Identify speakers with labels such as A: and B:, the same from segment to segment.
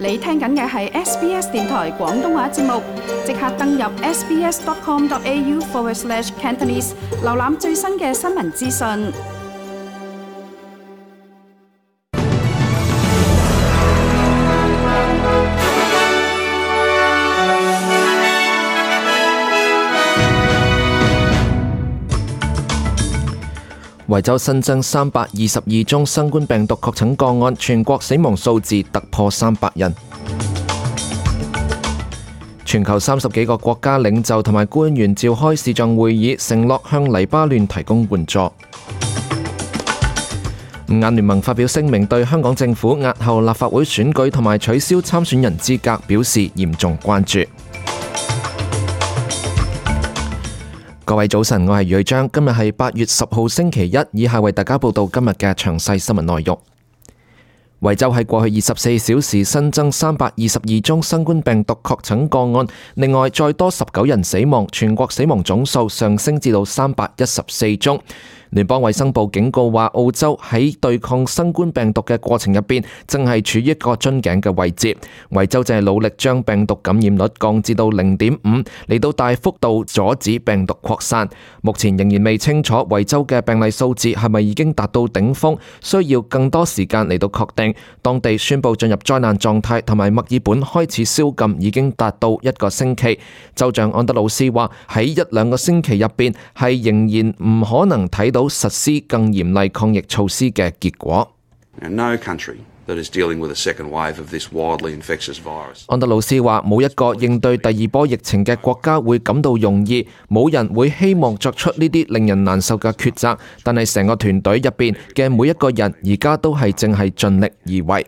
A: 你聽緊嘅係 SBS 電台廣東話節目，即刻登入 sbs.com.au/Cantonese 瀏覽最新嘅新聞資訊。
B: 維州新增322宗新冠病毒確診個案，全國死亡數字突破300人。全球30幾個國家領袖同埋官員召開視像會議，承諾向黎巴嫩提供援助。五眼聯盟發表聲明，對香港政府押後立法會選舉同埋取消參選人資格表示嚴重關注。各位早晨，我係余瑞章，今日係8月10號星期一，以下為大家報道今日嘅詳細新聞內容。維州喺過去24小時新增322宗新冠病毒確診個案，另外再多19人死亡，全國死亡總數上升至到314宗。聯邦衛生部警告話，澳洲喺對抗新冠病毒嘅過程入邊，正係處於一個樽頸嘅位置。維州正係努力將病毒感染率降至到0.5，嚟到大幅度阻止病毒擴散。目前仍然未清楚維州嘅病例數字係咪已經達到頂峰，需要更多時間嚟到確定。當地宣布進入災難狀態，同埋墨爾本開始宵禁已經達到1個星期。州長安德魯斯話，喺1-2個星期入邊係仍然唔可能睇到實施更嚴厲抗疫措施嘅結果。安德魯斯話，冇一個應對第二波疫情嘅國家會感到容易，冇人會希望作出呢啲令人難受嘅抉擇，但係成個團隊入邊嘅每一個人而家都係正係盡力而為。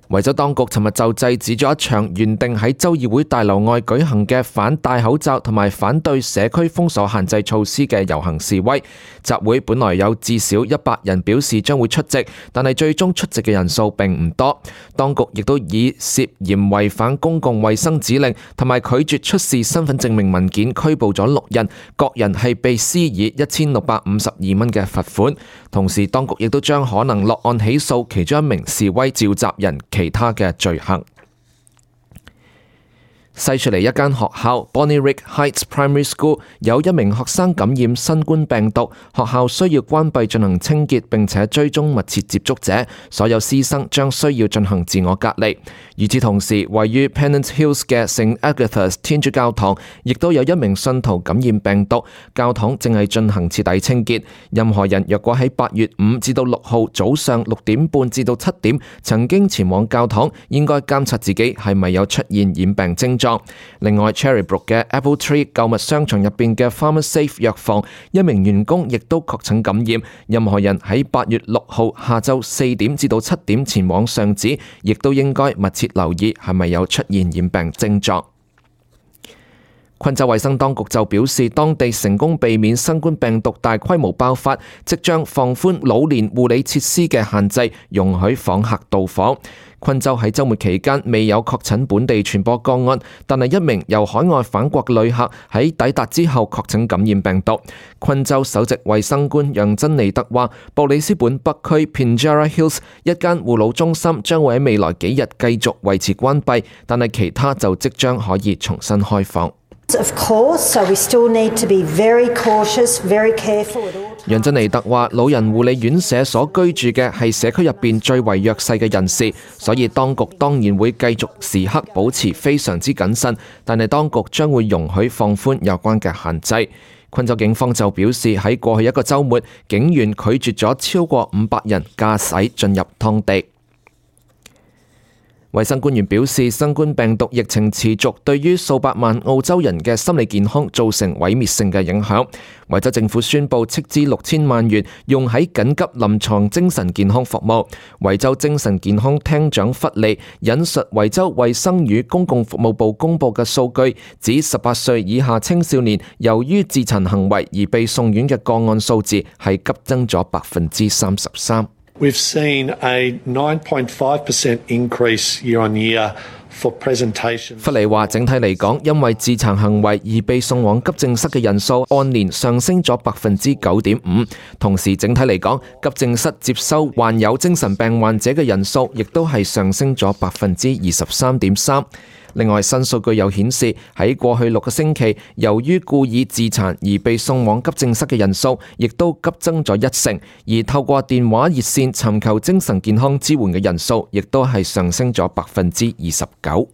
B: 維州當局尋日就制止咗一場原定喺州議會大樓外舉行嘅反戴口罩同埋反對社區封鎖限制措施嘅遊行示威。集會本來有至少100人表示將會出席，但係最終出席嘅人數並唔多。當局亦都以涉嫌違反公共衛生指令同埋拒絕出示身份證明文件拘捕咗6人，各人係被施以1652蚊嘅罰款。同時，當局亦都將可能落案起訴其中一名示威召集人其他嘅罪行。西雪梨一間學校 Bonnyrigg Heights Primary School 有一名學生感染新冠病毒，學校需要關閉進行清潔，並且追蹤密切接觸者，所有師生將需要進行自我隔離。與此同時，位於 Pennant Hills 嘅聖 Agatha's 天主教堂亦都有一名信徒感染病毒，教堂正係進行徹底清潔。任何人若果喺8月5至到6號早上6點半至到7點曾經前往教堂，應該監察自己係咪有出現染病症狀。另外 Cherrybrook 嘅 Apple Tree 購物商場入邊嘅 Pharmasafe 藥房一名員工亦都確診感染。任何人喺8月6號下晝4點至到7點前往上址，亦都應該密切留意係咪有出現染病症狀。昆州衛生當局就表示，當地成功避免新冠病毒大規模爆發，即將放寬老年護理設施嘅限制，容許訪客到訪。昆州喺週末期間未有確診本地傳播個案，但係一名由海外返國嘅旅客喺抵達之後確診感染病毒。昆州首席衛生官楊珍妮特話，布里斯本北區 Pinjarra Hills 一間護老中心將會喺未來幾日繼續維持關閉，但係其他就即將可以重新開放。楊珍妮特話，老人護理院舍所居住嘅係社區入邊最為弱勢嘅人士，所以當局當然會繼續時刻保持非常之謹慎，但係當局將會容許放寬有關嘅限制。昆州警方就表示，喺過去一個週末，警員拒絕咗超過500人駕駛進入當地。衛生官員表示，新冠病毒疫情持續，對於數百萬澳洲人嘅心理健康造成毀滅性嘅影響。維州政府宣布斥資6000萬元用喺緊急臨床精神健康服務。維州精神健康廳長弗利引述維州衛生與公共服務部公布嘅數據，指18歲以下青少年由於自殘行為而被送院嘅個案數字係急增咗33%。
C: We've seen a 9.5% increase year on year
B: 弗里話：整體嚟講，因為自殘行為而被送往急症室嘅人數按年上升咗9.5%，同時整體嚟講，急症室接收患有精神病患者嘅人數亦都係上升咗23.3%。另外，新數據又顯示喺過去6個星期，由於故意自殘而被送往急症室嘅人數亦都急增咗1成，而透過電話熱線尋求精神健康支援嘅人數亦都係上升咗29%。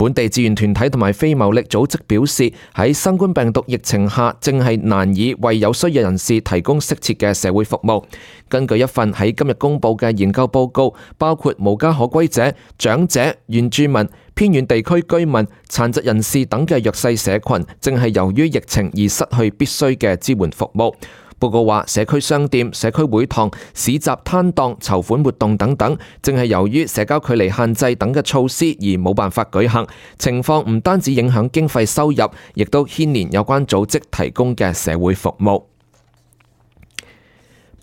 B: 本地志願團體同埋非牟利組織表示，喺新冠病毒疫情下，正係難以為有需要人士提供適切嘅社會服務。根據一份喺今日公佈嘅研究報告，包括無家可歸者、長者、原住民、偏遠地區居民、殘疾人士等嘅弱勢社群，正係由於疫情而失去必須嘅支援服務。報告話，社區商店、社區會堂、市集攤檔、籌款活動等等，正係由於社交距離限制等嘅措施而冇辦法舉行。情況唔單止影響經費收入，亦都牽連有關組織提供嘅社會服務。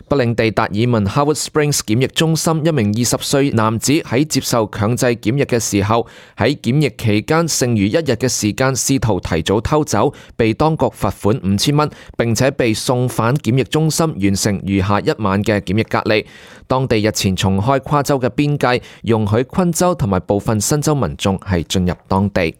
B: 北領地達爾文 Howard Springs 檢疫中心一名20歲男子喺接受強制檢疫嘅時候，喺檢疫期間剩餘1日嘅時間試圖提早偷走，被當局罰款5000蚊，並且被送返檢疫中心完成餘下1晚嘅檢疫隔離。當地日前重開跨州嘅邊界，容許昆州同埋部分新州民眾係進入當地。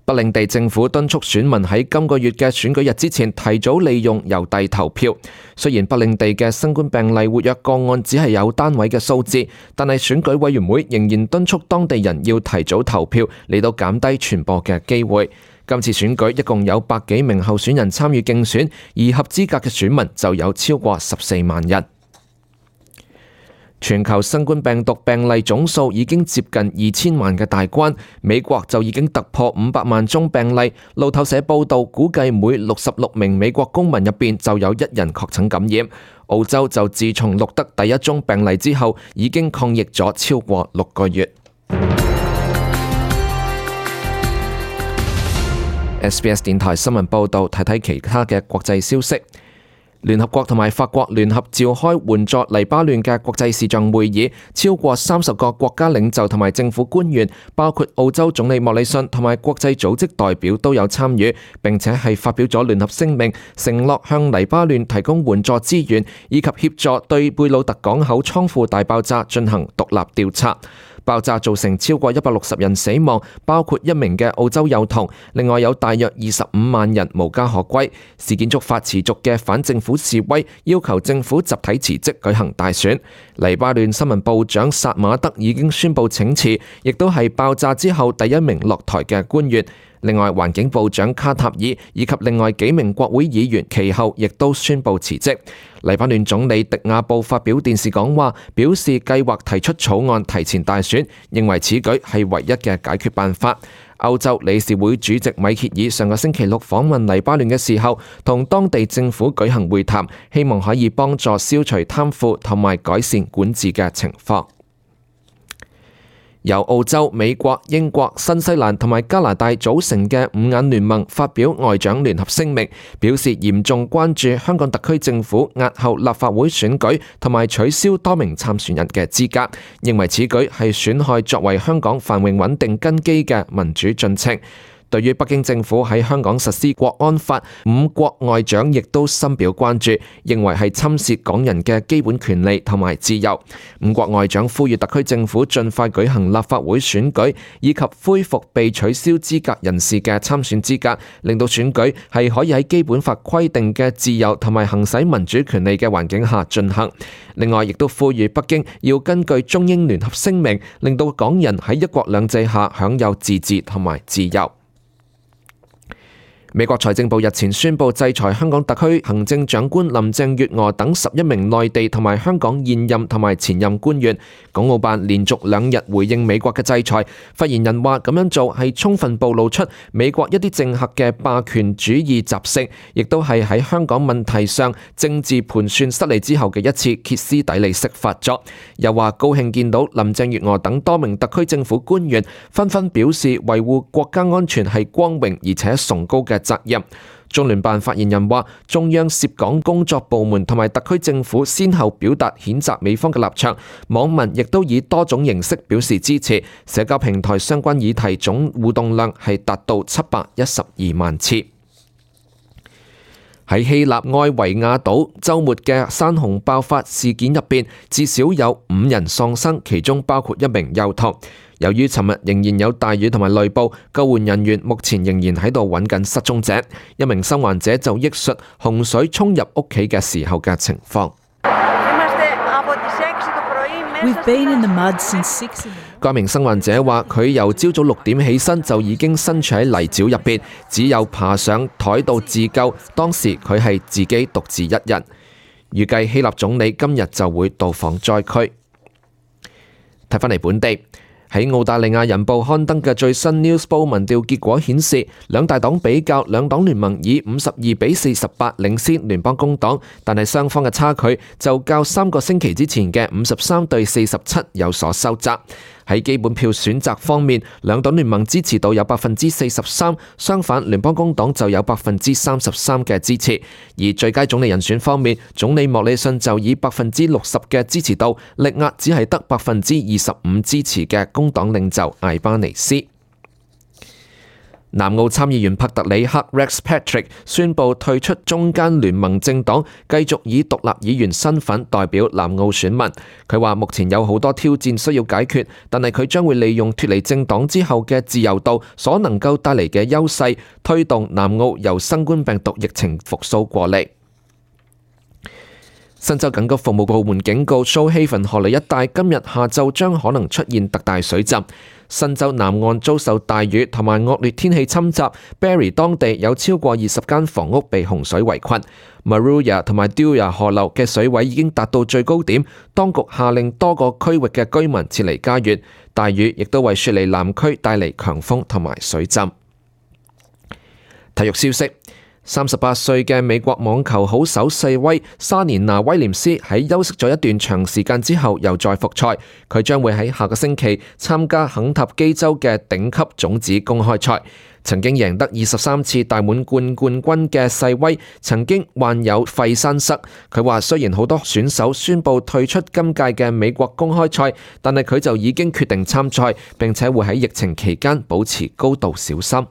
B: 北領地政府敦促選民喺今個月嘅選舉日之前提早利用郵遞投票。雖然北領地嘅新冠病例活躍個案只係有單位嘅數字，但係選舉委員會仍然敦促當地人要提早投票，嚟到減低傳播嘅機會。今次選舉一共有100幾名候選人參與競選，而合資格嘅選民就有超過14萬人。全球新冠病毒病例總數已經接近2000萬嘅大關，美國就已經突破500萬宗病例。路透社報道，估計每66名美國公民入邊就有1人確診感染。澳洲就自從錄得第1宗病例之後，已經抗疫咗超過6個月。SBS 電台新聞報道，睇睇其他嘅國際消息。聯合國同埋法國聯合召開援助黎巴嫩嘅國際視像會議，超過30個國家領袖同埋政府官員，包括澳洲總理莫里遜同埋國際組織代表都有參與，並且係發表咗聯合聲明，承諾向黎巴嫩提供援助資源，以及協助對貝魯特港口倉庫大爆炸進行獨立調查。爆炸造成超過160人死亡，包括1名嘅澳洲幼童，另外有大約25萬人無家可歸。事件觸發持續嘅反政府示威，要求政府集體辭職舉行大選。黎巴嫩新聞部長薩馬德已經宣布請辭，亦都係爆炸之後第1名落台嘅官員。另外，環境部長卡塔爾以及另外幾名國會議員其後亦都宣布辭職。黎巴嫩總理迪亞布發表電視講話，表示計劃提出草案提前大選，認為此舉係唯一嘅解決辦法。歐洲理事會主席米歇爾上個星期6訪問黎巴嫩嘅時候，同當地政府舉行會談，希望可以幫助消除貪腐同埋改善管治嘅情況。由澳洲、美國、英國、新西蘭同埋加拿大組成嘅五眼聯盟發表外長聯合聲明，表示嚴重關注香港特區政府押後立法會選舉同埋取消多名參選人嘅資格，認為此舉係損害作為香港繁榮穩定根基嘅民主進程。對於北京政府喺香港實施國安法，五國外長亦都深表關注，認為係侵蝕港人嘅基本權利同埋自由。五國外長呼籲特區政府盡快舉行立法會選舉，以及恢復被取消資格人士嘅參選資格，令到選舉係可以喺基本法規定嘅自由同埋行使民主權利嘅環境下進行。另外，亦都呼籲北京要根據中英聯合聲明，令到港人喺一國兩制下享有自治同埋自由。美國財政部日前宣布制裁香港特區行政長官林鄭月娥等11名內地同埋香港現任同埋前任官員。港澳辦連續2日回應美國嘅制裁，發言人話咁樣做係充分暴露出美國一啲政客嘅霸權主義習性，亦都係喺香港問題上政治盤算失利之後嘅一次歇斯底里式發作。又話高興見到林鄭月娥等多名特區政府官員紛紛表示維護國家安全係光榮而且崇高嘅責任。中聯辦發言人話，中央涉港工作部門同埋特區政府先後表達譴責美方嘅立場，網民亦都以多種形式表示支持，社交平台相關議題總互動量係達到712萬次。喺希臘愛維亞島週末嘅山洪爆發事件入邊，至少有5人喪生，其中包括一名幼童。由於尋日仍然有大雨同埋雷暴，救援人員目前仍然喺度揾緊失蹤者。一名生還者就憶述洪水衝入屋企嘅時候嘅情況。該名生還者話：佢由朝早6點起身就已經身處喺泥沼入邊，只有爬上台度自救。當時佢係自己獨自一人。預計希臘總理今日就會到訪災區。睇返嚟本地。喺澳大利亞人報刊登嘅最新 Newspoll 民調結果顯示，兩大黨比較，兩黨聯盟以52-48領先聯邦工黨，但係雙方嘅差距就較3個星期之前嘅53-47有所收窄。喺基本票選擇方面，兩黨聯盟支持度有43%，相反聯邦工黨就有33%嘅支持。而最佳總理人選方面，總理莫里遜就以60%嘅支持度力壓只係得25%支持嘅工黨領袖艾巴尼斯。南澳參議員帕特里克 Rex Patrick 宣布退出中間聯盟政黨，繼續以獨立議員身份代表南澳選民。佢話目前有好多挑戰需要解決，但係佢將會利用脫離政黨之後嘅自由度所能夠帶嚟嘅優勢，推動南澳由新冠病毒疫情復甦過嚟。新州緊急服務部門警告 Shoalhaven 河流一帶今日下晝將可能出現特大水浸。新州南岸遭受大雨同埋惡劣天氣侵襲 ，Barrie 當地有超過20間房屋被洪水圍困。Maruya 同埋 Dewar 河流嘅水位已經達到最高點，當局下令多個區域嘅居民撤離家園。大雨亦都為雪梨南區帶嚟強風同埋水浸。體育消息。38歲嘅美國網球好手細威莎蓮娜威廉斯喺休息咗一段長時間之後又再復賽，佢將會喺下個星期參加肯塔基州嘅頂級種子公開賽。曾經贏得23次大滿貫冠軍嘅細威曾經患有肺栓塞，佢話雖然好多選手宣布退出今屆嘅美國公開賽，但係佢就已經決定參賽，並且會喺疫情期間保持高度小心。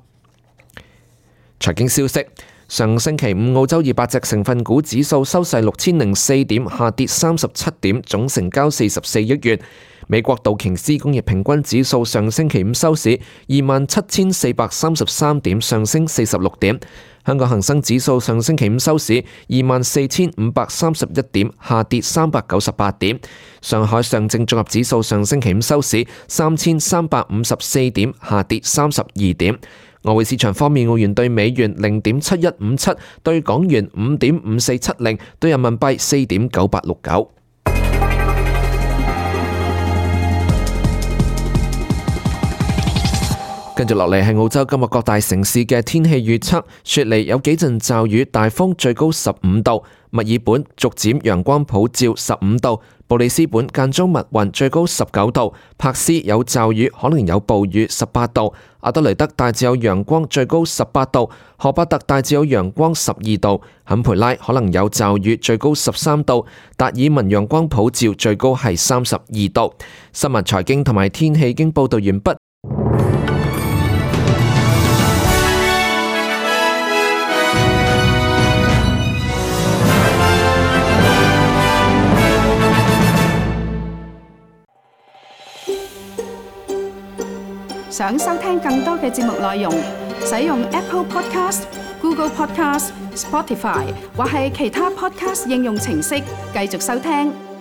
B: 財經消息。上星期五，澳洲200隻成分股指數收市6004點，下跌37點，總成交44億元。美國道瓊斯工業平均指數上星期五收市27,433點，上升46點。香港恒生指數上星期五收市24,531點，下跌398點。上海上證綜合指數上星期五收市3,354點，下跌32點。外匯市場方面，澳元對美元0.7157，對港元5.5470，對人民幣4.9869。跟住落嚟係澳洲今日各大城市嘅天氣預測。雪梨有幾陣驟雨，大風，最高15度；墨爾本逐漸陽光普照，15度；布里斯本間中密雲，最高19度；柏斯有驟雨，可能有暴雨，18度；阿德雷德大致有陽光，最高18度；荷伯特大致有陽光，12度；坎培拉可能有驟雨，最高13度；達爾文陽光普照，最高係32度。新聞、財經同埋天氣已經報道完畢。
A: 想收聽更多嘅節目內容，使用 Apple Podcast、Google Podcast、Spotify 或係其他 Podcast 應用程式繼續收聽。